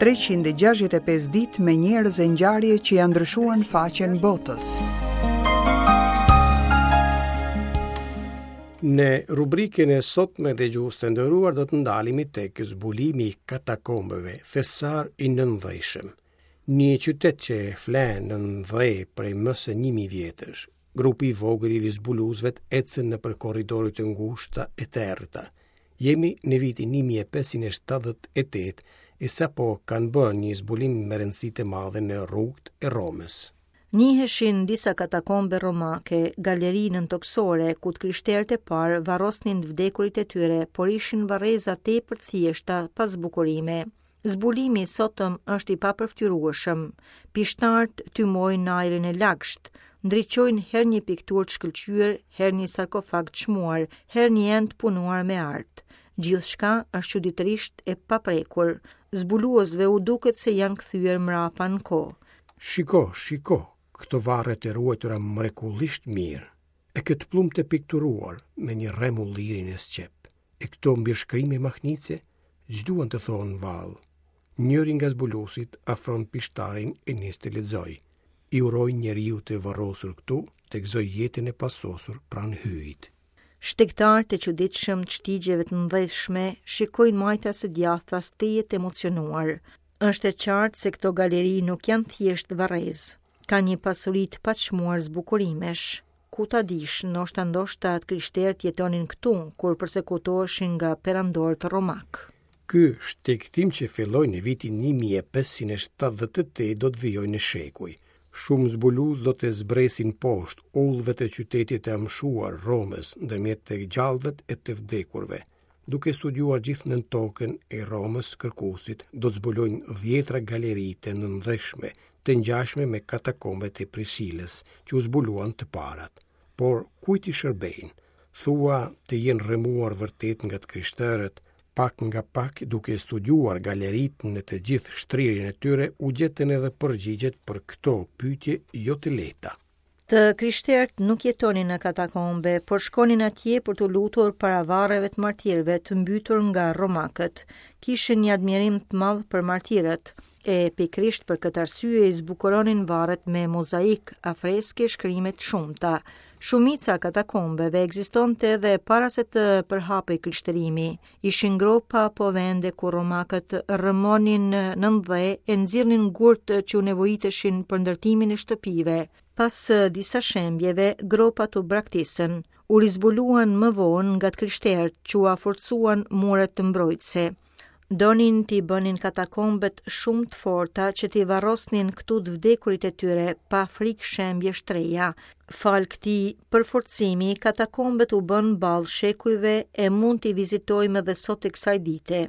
365 ditë me njerëz e ngjarje që ia ndryshuan faqen botës. Në rubrikën e sotme dëgjues të nderuar do të ndalemi tek zbulimi i katakombeve, thesar i nëndheshëm. Një qytet që fle nën dhe prej më se 1000 vjetësh. Grupi i vogël i zbuluesve ecën nëpër korridore të ngushta e të errëta. Jemi në vitin 1578 e sapo kanë bërë një zbulim me rëndësi të madhe në rrugët e Romës. Njiheshin disa katakombe romake, galeri nëntokësore, ku të krishterët e parë varrosnin të vdekurit e tyre, por ishin varreza tepër të thjeshta, pa zbukurime. Zbulimi i sotëm është i papërfytyrueshëm. Pishtarët tymojnë në ajrin e lagësht, ndriçojnë herë një pikturë të shkëlqyer, herë një sarkofag të çmuar, herë një enë të punuar me art. Gjithçka është çuditërisht e paprekur. Zbuluesve u duket se janë kthyer mbrapa në kohë. Shiko, shiko, këto varre të ruajtura mrekullisht mirë. E këtë pëllumb të pikturuar me një rrem ulliri në sqep. E këto mbishkrime mahnitëse, ç'duan të thonë vallë? Njëri nga zbuluesit afron pishtarin e nis të lexojë. I uroj njeriut të varrosur këtu të gëzojë jetën e pasosur pranë Hyjit. Shtegtarët e çuditshëm të shtigjeve të nëndheshme shikojnë majtas e djathtas tejet të emocionuar. Është e qartë se këto galeri nuk janë thjesht varrezë. Ka një pasuri të paçmuar zbukurimesh. Ku ta dish, ndoshta ndoshta të krishterët jetonin këtu, kur persekutoheshin nga perandorët romakë. Ky shtegtim që filloi në vitin 1578 do të vijojë në shekuj. Shumë zbulues do të zbresin poshtë udhëve të qytetit të amshuar Romës, ndërmjet të gjallëve e të vdekurve. Duke studiuar gjithë nëntokën e Romës, kërkuesit do të zbulojnë dhjetra galeri të nëndheshme, të ngjashme me katakombet e Prisilës, që u zbuluan të parat. Por kujt i shërbejnë? Thua të jenë rrëmuar vërtet nga të krishterët, pak nga pak duke studiuar galeritë në të gjithë shtrirjen e tyre u gjetën edhe përgjigjet për këto pyetje jo të lehta. Të krishterët nuk jetonin në katakombe, por shkonin atje për t'u lutur para varreve të martirëve të mbytur nga romakët. Kishin një admirim të madh për martirët, e pikërisht për këtë arsye i zbukuronin varret me mozaik, afreske e shkrime të shumta. Shumica e katakombeve ekzistonte edhe para se të përhapej krishterimi. Ishin gropa apo vende ku romakët rrëmonin nën dhe e nxirrnin gurët që u nevojiteshin për ndërtimin e shtëpive. Pas disa shembjeve, gropat u braktisën, u rizbuluan më vonë nga të krishterët që ua forcuan muret mbrojtëse. Donin t'i bënin katakombet shumë të forta që t'i varrosnin këtu të vdekurit e tyre pa frikë shembjesh të reja. Falë këtij përforcimi, katakombet u bënë ballë shekujve e mund t'i vizitojmë edhe sot e kësaj dite.